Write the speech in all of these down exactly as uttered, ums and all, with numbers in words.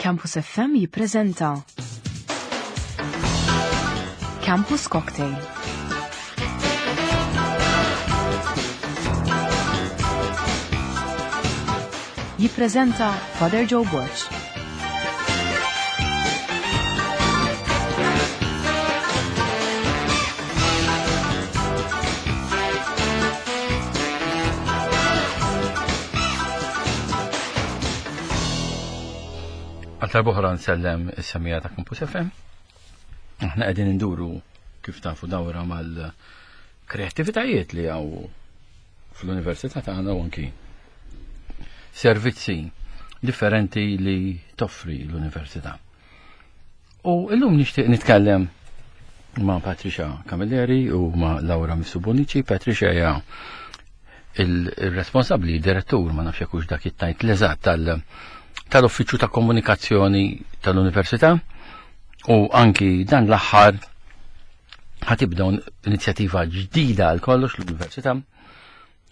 Campus F M jippreżenta Campus Cocktail. Jippreżenta Father Joe Borg. Għal darb'oħra nsellem is-semija ta' Campus F M. Aħna qegħdin induru kif tafu dawra mal-kreattivitajiet li hawn fl-università tagħna u anki servizzi differenti li toffri l-università. U illum nixtieq nitkellem ma' Patricia Camilleri u ma' Laura Mifsud Bonnici. Patricia hija il-responsabbli, direttur, ma nafx jekk hux dak it-tajt l-eżatt tal-, tal-Uffiċċju ta' Komunikazzjoni tal-Università, u anki dan l-aħħar ħatibda inizjattiva ġdida għal kollox l-Università,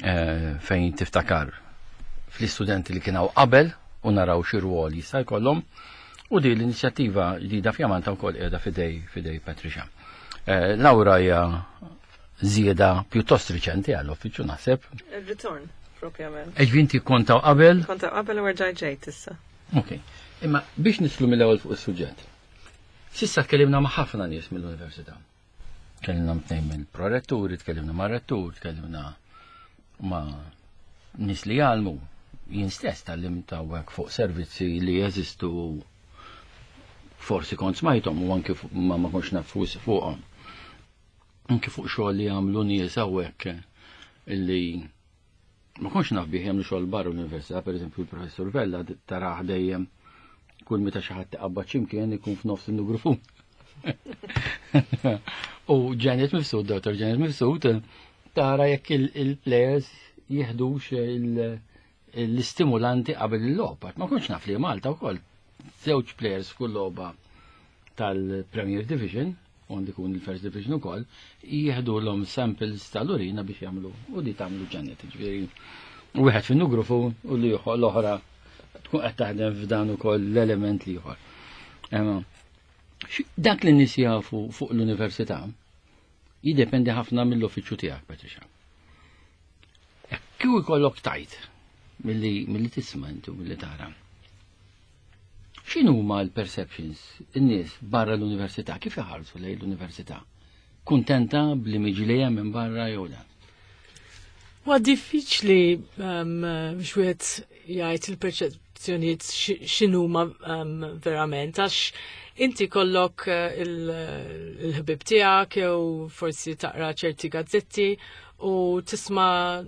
eh, fejn tiftakar fl-istudenti li kienaw qabel u naraw xi rwol jista' jkollhom, u din l-inizjattiva ġdida fjamanta wkoll qiegħda fidej, fidej Patricia. Eh, Laura hija żieda pjuttost riċenti għall-uffiċċju naħseb. Il-ritorn, propjament. Eġ inti kontaw qabel? Kontaw qabel u rġaj ġejt issa. Ok. Imma biex nislu mill-ewwel fuq is-suġġett. Sissa tkellimna ma' ħafna nies mill-università. Tkellimna tnejn mill-proretturi, tkellimna ma' rettur, tkellimna ma' nies li jgħallmu. Jien stess tgħallimt hawnhekk fuq servizzi li jeżistu forsi kont smajthom u anki fu-, ma, ma kontx naf fuq fuqhom. Anki fuq xogħol li jagħmlu nies hawnhekk illi ma kontx naf bih jagħmlu xogħol barra l-università, pereżempju il-professur Vella taraħ dejjem kull meta xi ħadd iqabbad x'imkien ikun f'nofs in-nugrufu. U Janet Mifsud, Dottor Janet Mifsud, tara jekk il-, il-players jieħdux il-, l-istimulanti qabel il-logħba. Ma kontx naf li Malta wkoll żewġ players f'kull logħba tal-Premier Division, u għandi kun il-First Division ukoll, jieħdu l-om samples tal-urina biex jagħmlu, u di tagħmlu Janet, ġifieri wieħed fin-nugrufu u li ieħor l-oħra tkun qed taħdem f'dan ukoll l-element li ieħor. Imma dak li n-nies jafu fuq l-università jiddependi ħafna mill-uffiċċju tiegħek, Patricia. Jekk kieku jkollok tajt milli, milli tisma' inti u milli tara. X'inhuma l-perceptions in-nies barra l-università, kif iħarsu lejn l-università? Kuntenta bl-imġi li hemm minn barra jew le? Huwa diffiċli, ehm, biex wieħed jgħid il-perċezzjonijiet xi-, x'inhuma, ehm, verament, għax inti kollok, eh, il-, il-ħbib tiegħek jew forsi taqra ċerti gazzetti u tisma'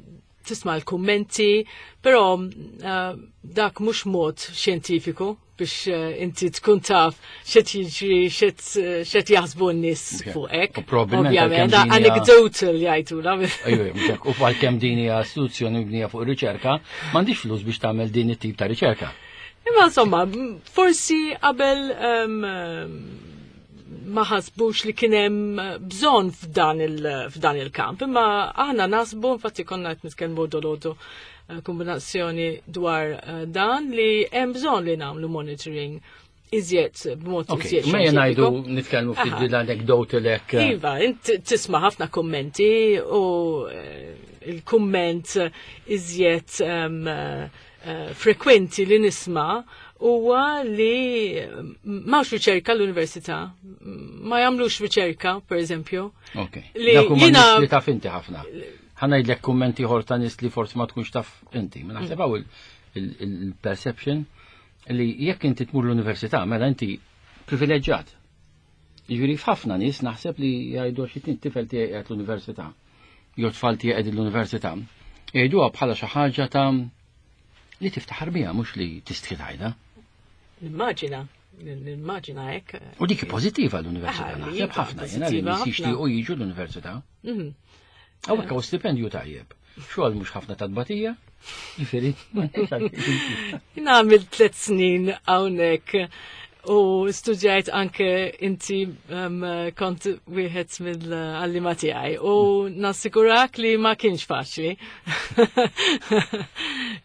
tisma' l-kummenti, però, eh, dak mhux mod xjentifiku biex, eh, inti tkun taf x'qed jiġri, x'qed, x'qed jaħsbu n-nies Ok. fuqek. U probabbilment Ovvjament, għalkemm din hija anecdotal jgħidula. Ejju, mhux hekk. U għalkemm din hija istituzzjoni mibnija fuq riċerka, m'għandix flus biex tagħmel din it-tip ta' riċerka. Imma insomma, forsi qabel, ehm, ma ħasbux li kien hemm bżonn f'dan il-, f'dan il-kamp, imma aħna nasbu, infatti konna qed nitkellmu dolodu, eh, kombinazzjoni dwar, eh, dan li hemm bżonn li nagħmlu monitoring iżjed b'mod Ok, iżjed ma jien ngħidu xjentifiku. nitkellmu ftit Aha. din l-anekdote lek. Iva, int tisma' ħafna kummenti u, eh, il-kumment iżjed, ehm, eh, frekwenti li nisma' huwa li m'hawnx riċerka l-università, ma jagħmlux riċerka, per eżempju. Ok. Li Dak huma jiena nies li taf inti ħafna. Ħa ngħidlek kummenti ieħor ta' nies li forsi ma tkunx taf inti. Ma naħseb hawn il-, il-, il-perception li jekk inti tmur l-università, mela inti privileġġjat. Jiġifieri f'ħafna nies naħseb li jgħidu xi tnejn tifel tiegħi qiegħed l-università, jew tfal tiegħi qegħdin l-università, jgħiduha bħala xi ħaġa ta' li tiftaħar biha, mhux li tistħi tgħidha. Nimmaġina, nimmaġina hekk. U dik pożittiva l-università, Ah, naħseb iva, ħafna jiena li pożittiva nies ħafna. jixtiequ jiġu l-università. Mhm. Hawnhekk hawn stipendju tajjeb. Xogħol mhux ħafna ta' tbatija, jiġifieri, ma nafx għalfejn. Jien għamilt tliet snin hawnhekk u U studjajt anke inti um, kont wieħed mill-għalliema tiegħi u nassigurak li ma kienx faċli.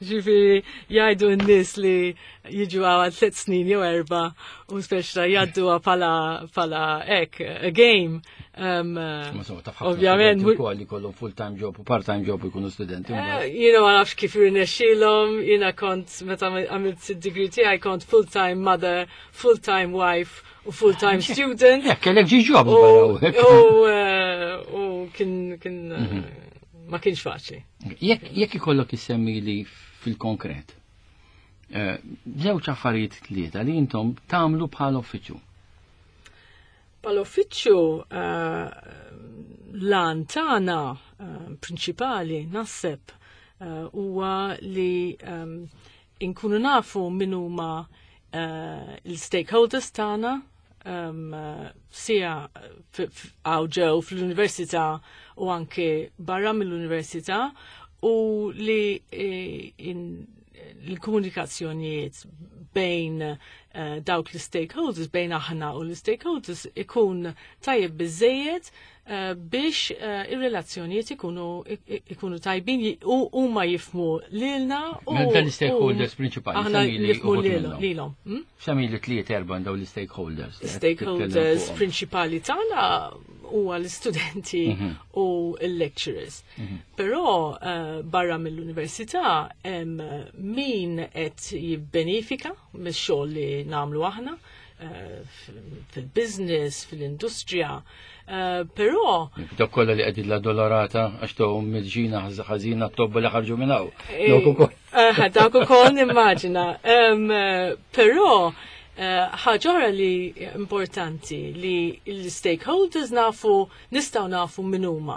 Ġifieri jgħidu n-nies li jiġu għal tliet snin jew erba' u speċa jgħadduha bħala bħala hekk, a game. Um, Ovvjament ukoll li kollhom full-time job u part-time job u jkunu studenti. Eh, jiena ma nafx kif irnexxielhom, jiena kont meta għamilt id-degree tiegħi kont full-time mother, full-time wife u full-time student. Jekk kellek ġi job. U eh, u kien kien mhm. ma kienx faċli. Jekk ikollok issemmi li fil-konkret, eh, żewġ affarijiet tlieta li intom tagħmlu bħala uffiċċju. Bħala uffiċċju eh, l-għan tagħna eh, prinċipali naħseb huwa li inkunu nafu min huma l-stakeholders tagħna sija għaw ġew fl-università u anke barra mill-università u li l-komunikazzjonijiet bejn uh, dawk l-stakeholders, bejn aħna u l-stakeholders ikun tajjeb biżejjed uh, biex uh, ir-relazzjonijiet ikunu, ikunu tajbin u huma jifhmu lilna u Dan l-stakeholders prinċipali. Aħna nifhmu lilhom. Hmm? Semmi li tliet erba' daw l-stakeholders. Stakeholders prinċipali tagħna huwa l-istudenti mhm. u l-lecturers. Mhm. Però uh, barra mill-università hemm min qed jibbenefika mix-xogħol li nagħmlu aħna uh, fil-business, fil-industrija. Uh, però Dawk kollha li qegħdin l-Addolorata għax tohom mill-ġina ħażina t-tobba li ħarġu minn hawn. Dawk ukoll. Dawk ukoll nimmaġina. Però ħaġa oħra li importanti li l-stakeholders nafu, nistgħu nafu min huma.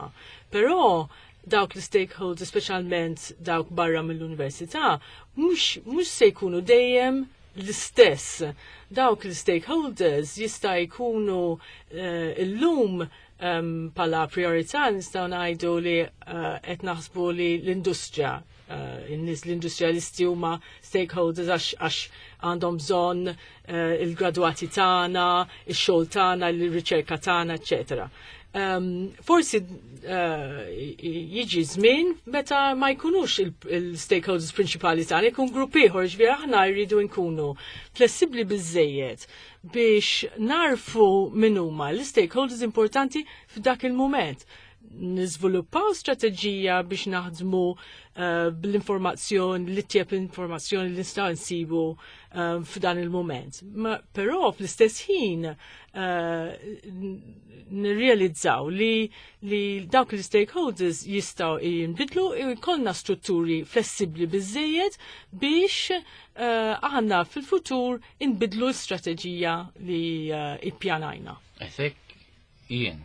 Però dawk l-stakeholders, speċjalment dawk barra mill-università, mhux se jkunu dejjem l-istess. Dawk l-stakeholders jista' jkunu uh, illum um, bħala priorità nistgħu ngħidu li qed uh, naħsbu li l-industrija uh, in-nies l-industrialisti huma stakeholders għax għandhom bżonn uh, il-gradwati tagħna, ix-xogħol tagħna, il-riċerka tagħna, eċetera. Um, forsi uh, jiġi żmien meta ma jkunux il-stakeholders il prinċipali tagħna, jkun grupp ieħor, ġifieri aħna jridu nkunu flessibbli biżejjed biex narfu min huma l-stakeholders importanti f'dak il-mument. Niżviluppaw strateġija biex naħdmu uh, bl-informazzjoni, li tjeb l-informazzjoni li nistgħu nsibu uh, f'dan il-moment. Ma, però fl-istess ħin uh, nirrealizzaw li, li dawk l-stakeholders jistgħu jinbidlu u jkollna strutturi flessibli biżejjed biex uh, aħna fil-futur inbidlu l-strateġija li uh, ippjanajna. Esek jien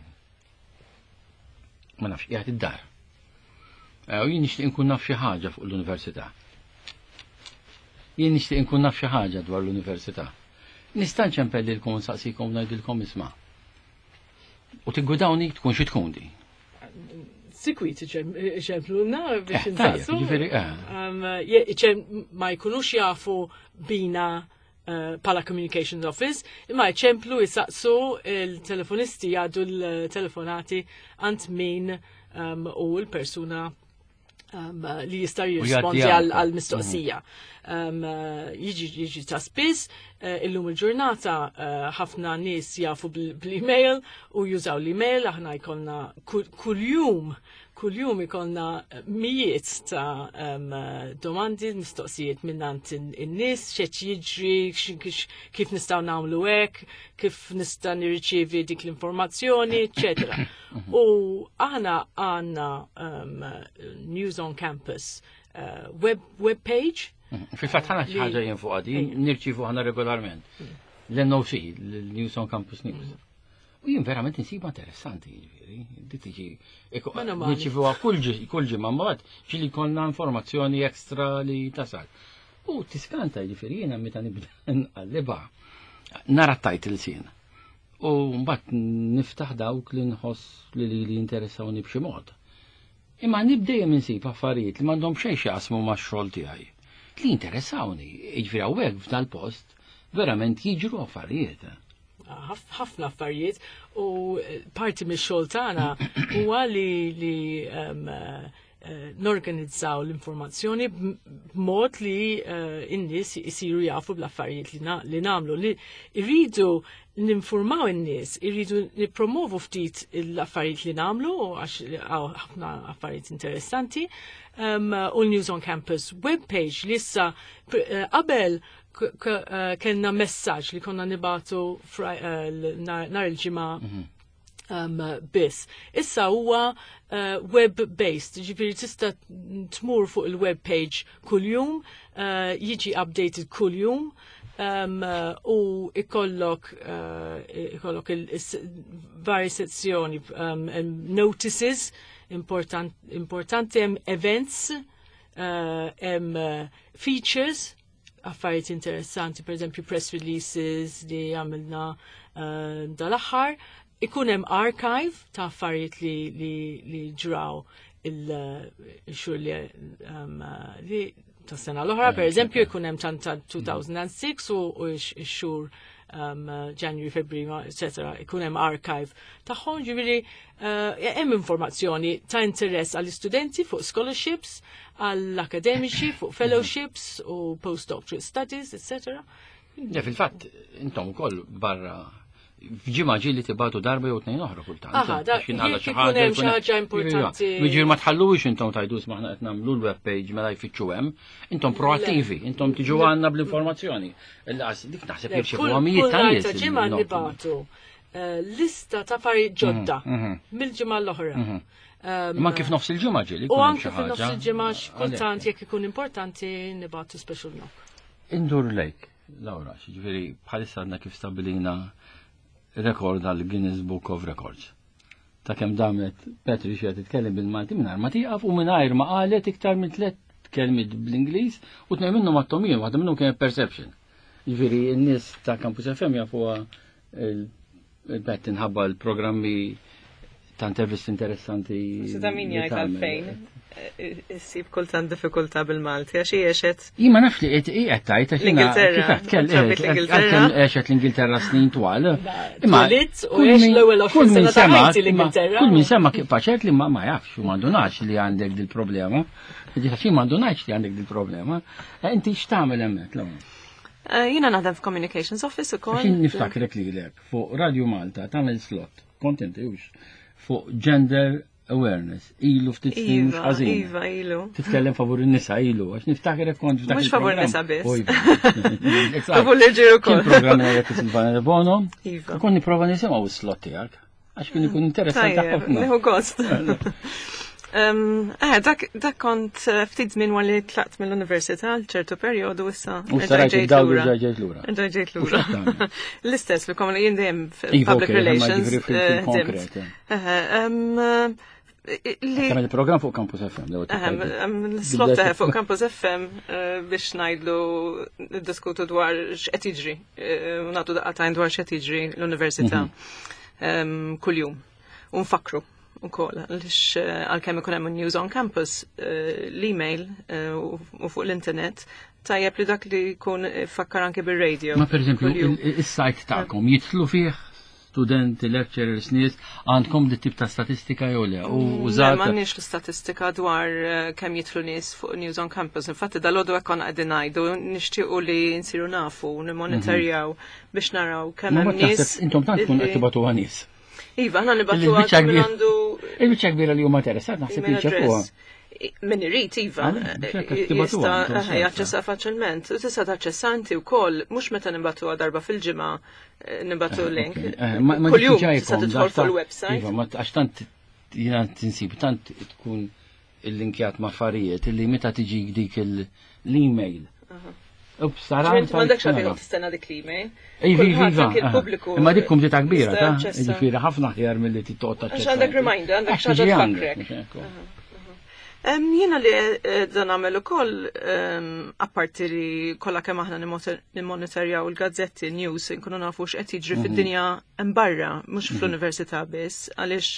ma nafx qiegħed id-dar. U jien nixtieq inkun naf xi ħaġa fuq l-università. Jien nixtieq inkun naf xi ħaġa dwar l-università. Nista' nċempellilkom nsaqsikom ngħidilkom isma'. U tiggwidawni tkun xi tkun di. Sikwit iċempluna biex Eh, tajjeb, insaqsu. ġifieri, eh. Um, je- iċem ma jkunux jafu bina uh, bħala Communications Office, imma iċemplu jisaqsu il-telefonisti jgħaddu l-telefonati għand min um, u l-persuna um, li jista' jirrispondi jgħaddi għal anke. għal mistoqsija. Um, uh, Jiġi jiġi ta' spiss, uh, illum il-ġurnata uh, ħafna nies jafu bl- bl-email u jużaw l-email, aħna jkollna kull kuljum kuljum ikollna mijiet ta' um, domandi, mistoqsijiet minnant in-nies, x'qed jiġri, x- kif nistgħu nagħmlu hekk, kif nista' nirriċievi dik l-informazzjoni, eċetera. U aħna għandna um, News on Campus uh, web, web page. Fil-fatt ħana xi Li- ħaġa jien fuq għadi, nirċivu ħana regolarment. L-N O C, l-News on Campus News. U jien verament insiba interessanti, ġifieri, di tiġi, Mela mali. nirċivuha kull ġi- kull ġimgħa mbagħad ġieli konna informazzjoni ekstra li tasal. U tiskanta ġifieri jiena meta nibda nqalliba nara titles jien. U mbagħad niftaħ dawk li nħoss li li li interessawni b'xi mod. Imma nibdejjem insib affarijiet li m'għandhom xejn x'jaqsmu max-xogħol tiegħi. Li interessawni, jiġifieri hawnhekk f'dal-post Verament jiġru affarijiet. Ħafna affarijiet u parti mix-xogħol tagħna huwa li li um, eh, norganizzaw l-informazzjoni b'mod li eh, n-nies isiru jafu bl-affarijiet li na- li nagħmlu li irridu ninformaw in-nies, irridu nippromovu ftit l-affarijiet li nagħmlu għax hawn ħafna affarijiet interessanti. Um, u l-News on Campus webpage li issa pr- eh, qabel k- k- eh, kellna messaġġ li konna nibagħtu fra- eh, l- nar nar il-ġimgħa um, biss. Issa huwa uh, web-based, ġifieri tista' tmur fuq il-web page kuljum, uh, jiġi updated kuljum, um, uh, u ikollok uh, ikollok il-vari sezzjoni um, um, notices important, importanti hemm events, uh, hemm uh, features, affarijiet interessanti, per eżempju press releases li għamilna uh, dal-aħħar, ikun hemm archive ta' affarijiet li, li, li ġraw il-xhur li, um, uh, li ta' sena l-oħra, per eżempju, ikun hemm tan ta' elfejn u sitta u u x-xhur um, uh, January, February, et cetera ikun hemm archive tagħhom, ġifieri uh, hemm informazzjoni ta' interess għall-istudenti fuq scholarships, għall-akademiċi fuq fellowships u postdoctorate studies, et cetera. Ja, fil-fatt, intom ukoll barra f'ġimgħa ġieli tibagħtu darba jew tnejn oħra kultant. Aha, da- Għax jinqala jekk xi ikun ħaġa, hemm xi ħaġa importanti. Jiġifieri ma tħallux intom tajdu aħna qed nagħmlu l-web page mela jfittxu hemm, intom proattivi, intom tiġu għandna bl-informazzjoni. Il-qas dik naħseb Le, jirċievu Kull għamijiet kull ta' nhar nies ta' ġimgħa il-notu. nibagħtu eh, lista ta' affarijiet ġodda mhm. mill-ġimgħa l-oħra. Um, Ma kif nofs il-ġimgħa ġieli U jkun hemm anke xi fil-nofs ħaġa. il-ġimgħa kultant Għalhekk. jekk ikun importanti nibagħtu special knock. Indur lejk, Laura, ġifieri bħalissa għadna kif stabilina rekord għal Guinness Book of Records. Ta' kemm damet Patricia titkellem bil-Malti mingħajr ma tieqaf u mingħajr ma qalet iktar minn tliet kelmiet bl-Ingliż u tnejn minnhom għattomijin, waħda minnhom kienet perception. Ġifieri n-nies ta' Campus F M jafuha il-Pat inħabba l-programmi ta' intervisti interessanti. Se ta' min li jgħid tagħmel. għalfejn issib kultant diffikultà bil-Malti, għax hi għexet Jien ma nafx li qed qed tajt għax jiena L-Ingilterra. kif qed tkell- Trabbit eh, l-Ingilterra. għalkemm għexet l-Ingilterra snin twal. Imma Twelidt u kull għex min- l-ewwel għoxrin kull min sena ta' sema- ħajti imma l-Ingilterra. Kull min sema kif faċert li ma ma jafx u m'għandunax li għandek dil-problema. Ġifieri m'għandunax li għandek dil-problema. Eh, Inti x'tagħmel hemmhekk l Eh, Jiena naħdem f'Communications Office ukoll. Xin niftakrek lilek fuq Radio Malta tagħmel slot, kontent hux, fuq gender awareness, ilu ftit snin mhux Iva, ħażin. iva, ilu. Titkellem favur in-nisa ilu, għax niftakrek kont f'dak Mhux favur il-programm. nisa biss. O, iva. Favur l-irġiel ukoll. Kien programm li għajt Silvana De Bono. Iva. Kont nipprova nisimgħu s-slot tiegħek. Għax kien ikun interessanti Tajjeb, ħafna. nieħu gost. Um, eh, dak, dak kont eh, ftit żmien wara li tlaqt mill-università għal ċertu perjodu issa. U sarajt id-dawl u ġejt lura. Ġejt U lura. x'qed tagħmel? L-istess li kom jien dejjem Iva, public okej, imma relations. ġifieri fil- eh, fil-konkret, ħdimt. Eh, em, eh, Li Tagħmel il-programm fuq Campus F M. l-ewwel Ehem, tibda. em, l-slot eh, fuq Campus F M eh, biex ngħidlu diskutu dwar x'qed jiġri, eh, u nagħtu daqatajn dwar x'qed jiġri l-università em, kuljum. U nfakru ukoll għaliex eh, għalkemm ikun hemm news on campus, eh, l-email eh, u u fuq l-internet, tajjeb li dak li jkun fakkar anke bir-radio. Ma per eżempju, kuljum. il- is-sajt tagħkom jidħlu fih studenti, lecturers, nies, għandkom di tip ta' statistika jew le? U Le, użat. m'għandniex l-istatistika dwar eh, kemm jidħlu nies fuq News on Campus. Infatti dal-għodu hekk konna qegħdin ngħidu nixtiequ li nsiru nafu, nimmonitorjaw biex naraw kemm Ma hemm nies. taħseb intom tant tkun qed illi- tibagħtuha nies. Iva, aħna nibagħtu Il-biċċa min kbira- għandu Il-biċċa kbira li huma interessat naħseb email jirċevuha. address. I- Min irid, iva, Ah, biex hekk tibagħtuha, jista' intom eh, sens, jaċċessa faċilment. U tista' taċċessa inti wkoll, mhux meta nibagħtuha darba fil-ġimgħa eh, nibagħtu link. Eh, Ma ma Kuljum diġà tista' jkun tidħol dak fuq ta' il-website. Iva, ma għax tant jiena tinsib tant tkun il-linkjat ma' affarijiet illi meta tiġi dik il- l-email. Ups, tara. Ġifieri m'għandekx għalfejn toqgħod tistenna dik l-email. Iva, iva, Kulħadd iva. anke il-pubbliku Imma dik kumdita kbira, jista' ta' jaċċessa. Ġifieri ħafna aħjar milli tittoqgħod taċċessa. Għax għandek reminder, għandek Għax xi ħaġa tiġi tfakkrek. għandek, mhux hekk. Em, Jiena li eh, dan nagħmel ukoll em, apparti li kollha kemm aħna nimmonitorjaw il-gazzetti news nkunu nafu x'qed jiġri fid-dinja hemm barra, mhux fl-università biss, għaliex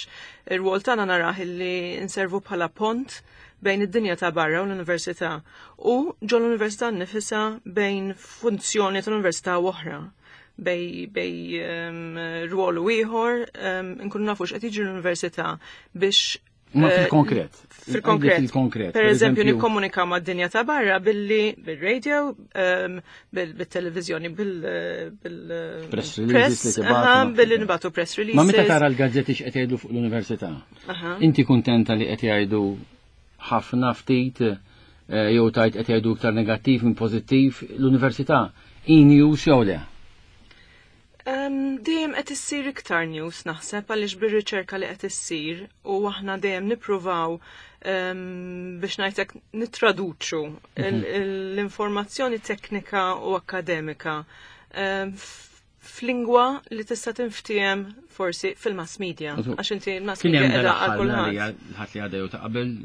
ir-rwol tagħna narah li nservu bħala pont bejn id-dinja ta' barra u l-università u ġo l-università nifisha bejn funzjoni tal-università u oħra bejn bejn um, rwol u ieħor um, nkunu nafu x'qed jiġri l-università biex Ma eh, fil-konkret. Fil-konkret. Fil-konkret. Per eżempju, nikkomunika ma' dinja ta' barra billi bil-radio, um, bil-televizjoni, bil- bil- Press releases li tibgħatu aha, ma' billi nibagħtu press releases. Ma meta tara l-gazzetti x'qed jgħidu fuq l-università? Aha. Inti kuntenta li qed jgħidu ħafna ftit eh, jew tajt qed jgħidu iktar negattiv minn pożittiv l-università e-news jew le? Um, dejjem qed issir iktar news naħseb għaliex bir-riċerka li qed issir u aħna dejjem nippruvaw um, biex ngħidlek nittraduċu il- l-informazzjoni teknika u akademika um, f'lingwa li tista' tinftiehem forsi fil-mass media. Għax inti l-mass Kien media hemm qiegħda għal dal-aħħar kulħadd. ħadd li għadha jew ta' qabel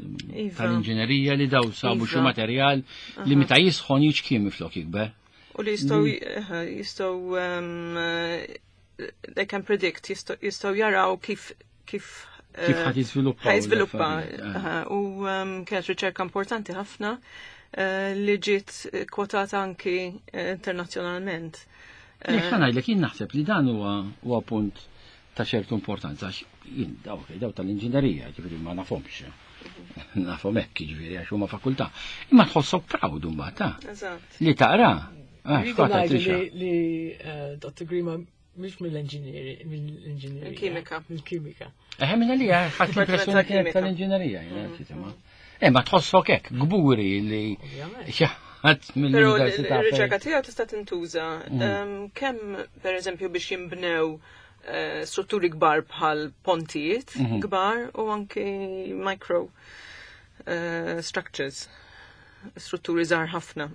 Iva. tal-inġinerija li daw sabu xi Iva. materjal li meta jisħon jiċkiem flok jikber. U li jistgħu jistgħu um, eh, they can predict, jistgħu jistgħu jaraw kif kif Kif eh, ħadd jiżviluppa. ħa jiżviluppa. l-affarijiet, aha, U um, kienet riċerka importanti ħafna eh, li ġiet kwotata anki eh, internazzjonalment. Jekk ħa ngħidlek jien naħseb li dan huwa huwa punt ta' ċertu importanza għax jien daw daw tal-inġinerija, ġifieri ma nafhomx. Nafhom hekk ġifieri għax huma fakultà. Imma tħossok proud imbagħad ta' Eżatt. li taqra. Ah, Rridu x'fatta ngħidu trixa. li li eh, Dr. Grima mhix mill-engineering, mill-engineering. Mill-kimika. Mill-kimika. Eħe minna li ħadd l-impressjoni kienet tal-kimika. tal-inġinerija, jiena x'jisimha. Eh, ma tħossok hekk, gburi li Ovvjament. xi ħadd Però mill-università. l-riċerka tiegħu tista' tintuża um, kemm pereżempju biex jinbnew eh, strutturi kbar bħal pontijiet kbar u anki micro eh, structures, strutturi żgħar ħafna.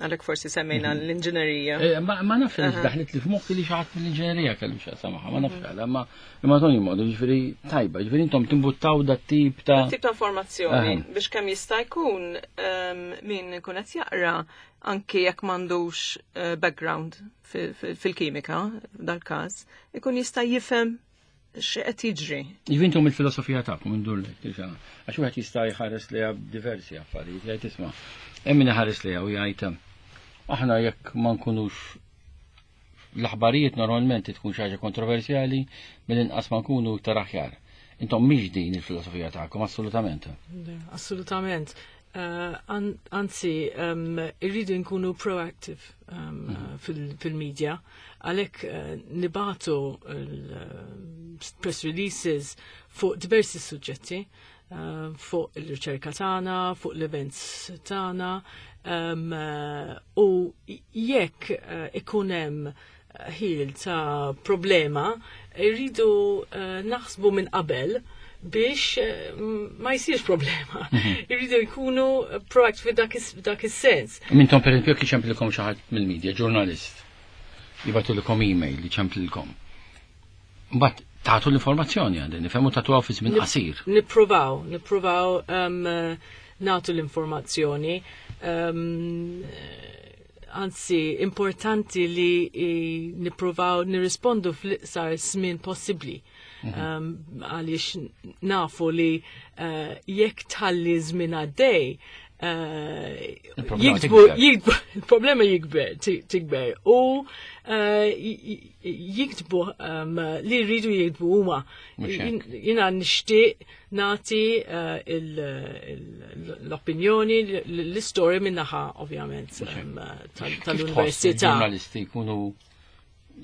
Għalhekk forsi semmejna l-inġinerija. Eh, Ma ma nafx li daħlet li f'moħħi li xi ħadd mill-inġinerija kellu x'jaqsam magħha, ma nafx għala, ma imma toni modu, ġifieri tajba, ġifieri intom timbuttaw dat tip ta' Tip ta' informazzjoni Aha. biex kemm jista' jkun um, min ikun qed jaqra anki jekk m'għandux eh, background fi- fi- fil-kimika dal-każ, ikun jista' jifhem x'qed jiġri. Ġifieri intom il-filosofija tagħkom indur lek, tixa. Għax wieħed jista' jħares li diversi affarijiet, jgħid isma' hemm min iħares li u jgħid aħna jekk ma nkunux l-aħbarijiet normalment tkun xi ħaġa kontroversjali mill-inqas ma nkunu iktar aħjar. Intom mhix din il-filosofija tagħkom assolutament. Le, Assolutament. Uh, an, anzi, um, irridu nkunu proactive um, uh, fil- fil-media. Għalhekk uh, nibagħtu il-press releases fuq diversi suġġetti, uh, fuq il-riċerka tagħna, fuq l-events tagħna, um, uh, u jekk uh, ikun hemm ħil ta' problema, irridu uh, naħsbu minn qabel biex eh, ma jsirx problema. Irridu jkunu proactive dak is- dak is-sens. Mintom per esempio jekk iċemplilkom xi ħadd mill-media, ġurnalist, jibagħtulkom email li ċemplilkom. Mbagħad tagħtu l-informazzjoni għandi, nifhemu tagħtuha fi żmien qasir. Nippruvaw, nippruvaw um, eh, nagħtu l-informazzjoni. Um, anzi, importanti li eh, nippruvaw nirrispondu fl-iqsar żmien possibbli. Um, għaliex nafu li uh, jekk tħalli żmien għaddej, uh, Il-problema jiktbu, tikber. jiktbu, il-problema jikber, ti- tikber. U uh, j- j- jiktbu um, li rridu jiktbu huma. Mhux hekk. Jien- Jiena nixtieq nagħti uh, il- il- l-opinjoni, l-istorja minnaħa ovvjament um, tal- Kif tħoss tal-università. il-ġurnalisti jkunu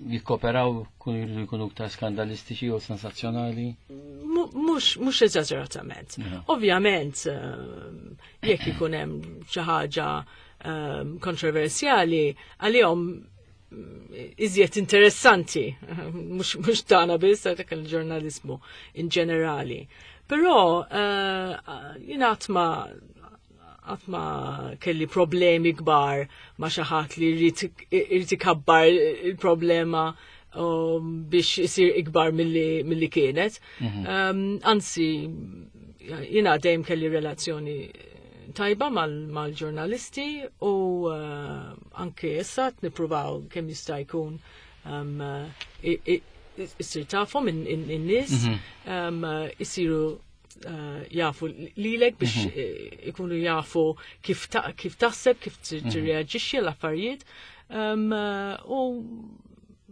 jikkoperaw, kunu jridu jkunu iktar skandalistiċi u sensazzjonali? Mu- Mhux mhux eżaġeratament. Aha. Ovvjament, um, jekk ikun hemm xi ħaġa um, kontroversjali, għalihom mm, iżjed interessanti, mhux mhux tagħna biss dak il-ġurnaliżmu in ġenerali. Però uh, jiena qatt ma qatt ma kelli problemi kbar ma xi ħadd li jrid irid ikabbar il-problema um, biex isir ikbar milli milli kienet. Um, anzi, Jiena dejjem kelli relazzjoni tajba mal-ġurnalisti u uh, anke issa nippruvaw kemm jista' jkun um, issir tafhom in-nies, mhm. um, isiru uh, jafu lilek biex mhm. ikunu jafu kif taħseb, kif mhm. tirreaġixxi l-affarijiet. Um, u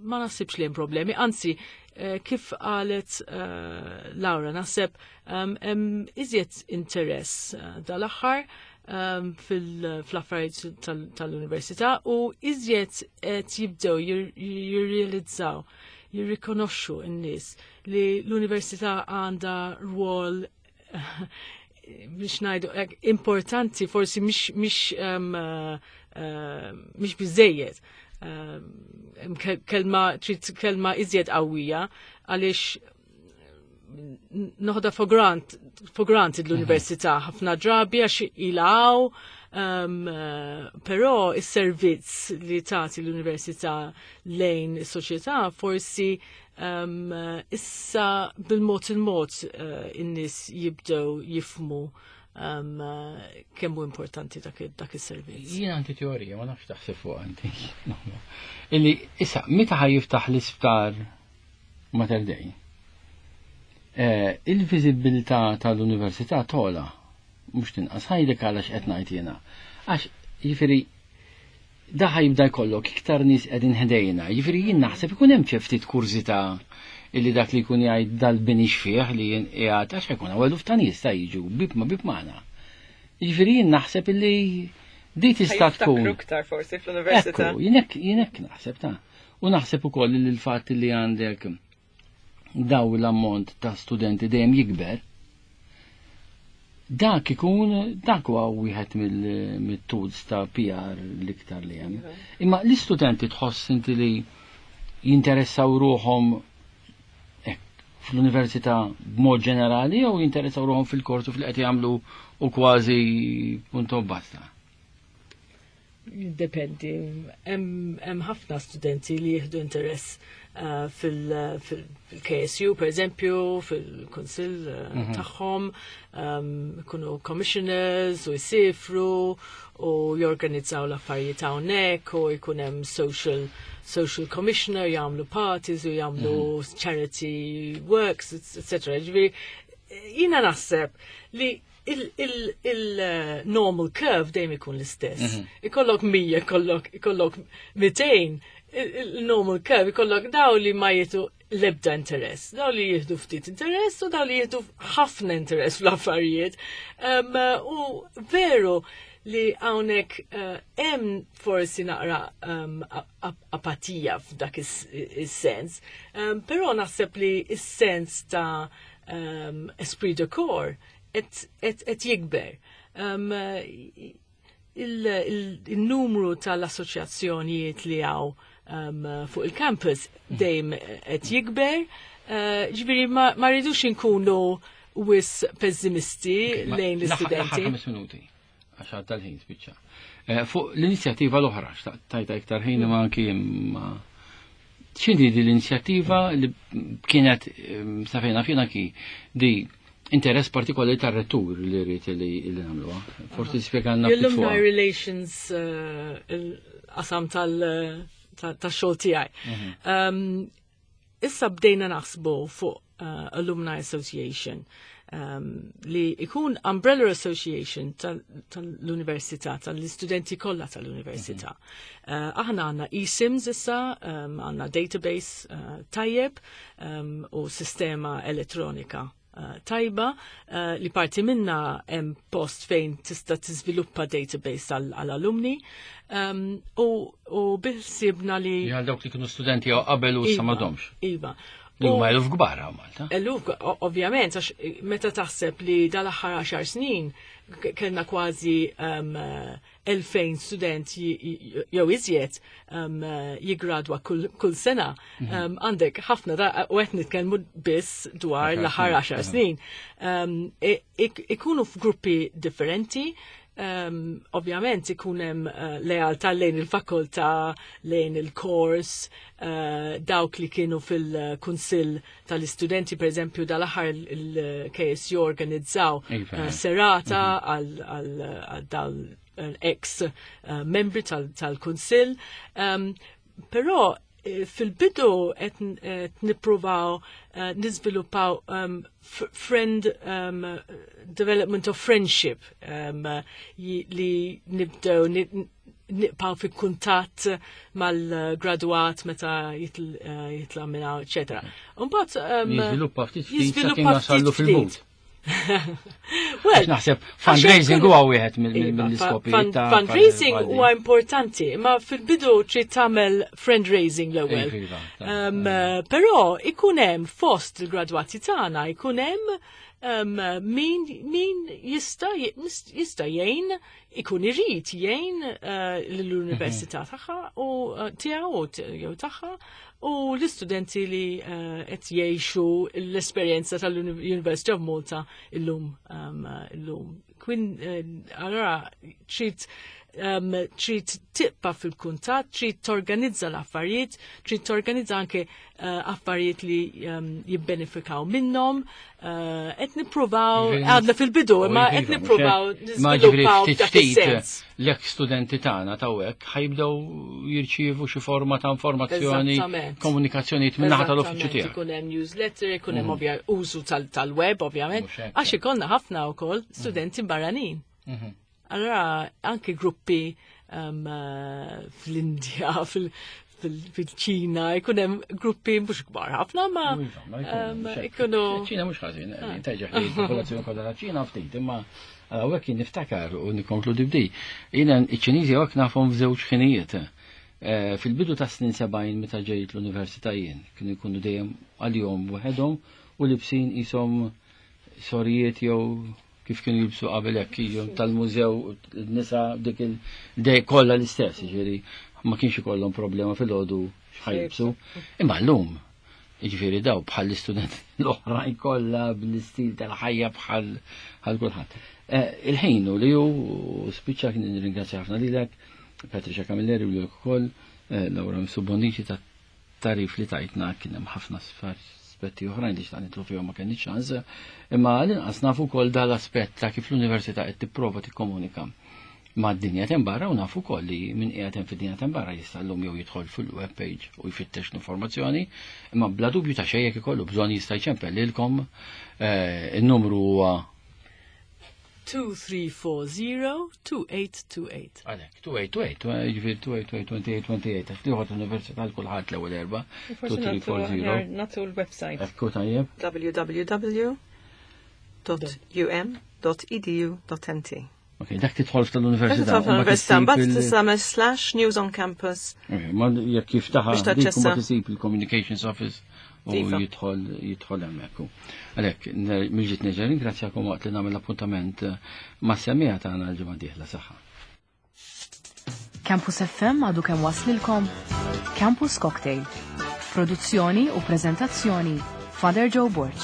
ma naħsibx li hemm problemi, anzi, eh, kif qalet eh, Laura, naħseb hemm iżjed interess eh, dal-aħħar fil-affarijiet tal-università u iżjed qed jibdew jirrealizzaw, jirrikonoxxu n-nies li l-università għandha rwol, biex ngħidu importanti, forsi mhix mhix mhix biżejjed, kelma, trid kelma iżjed qawwija, għaliex noħodha for grant, for granted l-università ħafna drabi għax ilaw, um, però is-servizz li tagħti l-università lejn is-soċjetà forsi um, issa bil-mod il-mod uh, in-nies jibdew jifhmu um, kemm hu importanti dak, dak is-servizz. Jien għandi teorija, ma nafx taħseb fuq għandi. Illi issa meta ħa jiftaħ l-isptar Mater Dei, eh, il-viżibilità tal-università togħla, mhux tinqas. Ngħidlek għalax qed ngħid jiena. Għax jiġifieri da jibda jkollok iktar nies qegħdin ħdejna, jiġifieri jien naħseb ikun hemm ftit kurżità illi dak li jkun jgħid dal-bini xfieħ li jien qiegħed, għax jkun hawn eluf ta' nies ta' jiġu bib ma bib magħna. Jiġifieri jien naħseb illi di tista' tkun. Iktar forsi fl-università. Ekku, jien hekk jien hekk naħseb ta' u naħseb ukoll li l-fatt li għandek daw l-ammont ta' studenti dejjem jikber, dak ikun, dak huwa wieħed mill-tools ta' P R l-iktar li hemm. Imma l-istudenti tħoss inti li jinteressaw ruħhom fl-università b'mod ġenerali jew jinteressaw ruħhom fil-korsu fil qed jagħmlu u kważi punto basta? Dependi. Hemm ħafna studenti li jieħdu interess uh, fil-K S U, per eżempju, fil-kunsill uh, mhm. tagħhom, um, ikunu commissioners u jsifru u jorganizzaw l-affarijiet hawnhekk u jkun hemm social social commissioner, jagħmlu parties u jagħmlu mhm. charity works, et cetera. Ġifieri jiena naħseb li il-normal curve dejjem ikun l-istess. Mhm. Ikollok mija, ikollok ikollok mitejn, il-normal curve ikollok daw li ma jieħdu l-ebda interess, daw li jieħdu ftit interess u daw li jieħdu ħafna interess fl-affarijiet. U veru li hawnhekk eh, hemm forsi naqra apatija f'dak is-sens, però naħseb li is-sens ta' esprit de corps qed jikber. Il-numru tal-assoċjazzjonijiet li hawn fuq il-campus dejjem qed jikber. Eh, ġifieri ma rridux inkunu wisq pessimisti lejn l-istudenti. Ħames minuti, għax tal-ħin spiċċa. Eh, fuq l-inizjattiva l-oħra, tajta iktar ħin ma anki ma x'inhi di l-inizjattiva li kienet safejna fina ki di interess partikolari tar-rettur li rrid li li nagħmluha. Forsi tispjegalna ftit L-Alumni fuqha. Relations, eh, il-qasam tal-xogħol tiegħi. Um, Issa bdejna naħsbu fuq uh, Alumni Association um, li ikun Umbrella Association tal- tal-università, tal-istudenti kollha tal-università. Uh, aħna għandna eSIMS issa, um, għandna database uh, tajjeb um, u sistema elettronika uh, tajba uh, li parti minna hemm post fejn tista' tiżviluppa database għall-alumni um, u, u biħsibna li Għal dawk li kienu studenti jew qabel u issa Iva, m'għadhomx. Iva. Li huma U- eluf kbar hawn Malta. Eluf, o- ovvjament, għax meta taħseb li dal-aħħar għaxar snin k- kellna kważi um, eh, elfejn student j- j- jew iżjed um, eh, jigradwa kull, kull sena. Um, għandek ħafna da, u qed nitkellmu biss dwar Għaxar l-aħħar snin, għaxar snin. Um, i- ik- ikunu f'gruppi differenti, um, ovvjament ikun hemm uh, lealtà lejn il-fakultà, lejn il-kors, uh, dawk li kienu fil-kunsill tal-istudenti, per eżempju, dal-aħħar il-K S U organizzaw Iva. uh, serata għal għal dal ex uh, membri tal-kunsill. Um, però eh, fil-bidu qed qed nippruvaw uh, niżviluppaw um, f- friend um, development of friendship um, li nibdew ni- nibqaw fi kuntatt mal-graduat meta jitl- eh, jitla minna, eccetera. Mbagħad um, Jiżviluppa ftit ftit jiżviluppa sakemm nasallu ftit fil-but. ftit. Well, Naħseb fundraising huwa wieħed Iva, mill-iskopijiet ta' fundraising huwa importanti, ma fil-bidu trid tagħmel fundraising l-ewwel. Iva, Um, eh, Però ikun hemm fost il-gradwati tagħna ikun hemm um, min, min jista' jista' jgħin, ikun irid jgħin uh, l-università tagħha u uh, tiegħu u t- jew tagħha u l-istudenti li uh, qed jgħixu l-esperjenza tal-University of Malta illum um, illum. Kwin uh, allora trid um, trid tibqa' fil-kuntatt, trid torganizza l-affarijiet, trid torganizza anke uh, affarijiet li um, jibbenefikaw minnhom. Uh, qed nippruvaw, għadna fil-bidu, ma qed nippruvaw Ma ġifieri niżviluppaw ftit dak ftit is-sens. l-ex studenti tagħna tawhekk ħa jibdew jirċievu xi forma ta' informazzjoni, Eżattament. komunikazzjonijiet min-naħa tal-uffiċċju Eżattament, tiegħek. ikun hemm newsletter, ikun hemm ovvja użu tal- tal-web ovvjament, Mhux hekk. għax ikollna ħafna wkoll studenti barranin. Mhm. Allora anke gruppi um, uh, fl-Indja, fil- fil- fil-Ċina, ikun hemm gruppi mhux kbar ħafna, ma Iva, ma jkunu, um, mhux hekk. ikunu ċina mhux ħażin, tajġa li l-popolazzjoni kollha ta' Ċina ftit, imma hawnhekk jien niftakar u nikkonkludi b'di. Jiena iċ-Ċiniżi hawnhekk nafhom f'żewġ ħinijiet. Eh, Fil-bidu ta' snin sebgħin meta ġejt l-università jien, kienu jkunu dejjem għalihom waħedhom u libsin qishom sorijiet jew kif kienu jilbsu qabel hekk jiġu tal-mużew nisa dik il-dej kollha l-istess, jiġifieri ma kienx ikollhom problema fil-għodu x'ħa jilbsu. Imma llum, jiġifieri daw bħal l-istudent l-oħrajn kollha bl-istil tal-ħajja bħal bħal kulħadd. Eh, Il-ħin u li hu spiċċa. Kien nirringrazzja ħafna lilek, Patricia Camilleri, u lilek ukoll, eh, Laura Subonici, ta' tarif li tajtna. Kien hemm ħafna aspetti oħrajn li xtaqt nidħlu fihom, ma kenniex ċans, imma l-inqas nafu wkoll dal-aspett ta' kif l-università qed tipprova tikkomunika ma' d-dinja t'hemm barra u nafu wkoll li min qiegħed hemm fid-dinja t'hemm barra jista' llum jew jidħol fil-web page u jfittex l-informazzjoni, imma bla dubju ta' xejn jekk ikollu bżonn jista' jċempel lilkom. eh, il-numru huwa two three four zero two eight two eight. Għalek, two eight two eight, ġifieri two eight two eight, twenty-eight twenty-eight, għax liħot l-università l-kulħadd l-ewwel erba, Forsi two three four zero. nagħtu l-website. Ekku, tajjeb. w w w dot u m dot e d u dot n t. Ok, dak tidħol tal-università. Taf l-università, mbagħad tista' slash news on campus. Ok, ma jekk jiftaħa Biex dik u taċċessa. ma tisib il-Communications Office u Iva. jidħol jidħol hemmhekk. Għalhekk, mill-ġdid nerġa' ringrazzjakom waqt li nagħmel appuntament eh, ma' semmiegħa tagħna l-ġimgħa dieħla. Saħħa. Campus F M għadu kemm waslilkom Campus Cocktail. Produzzjoni u prezentazzjoni Father Joe Borg.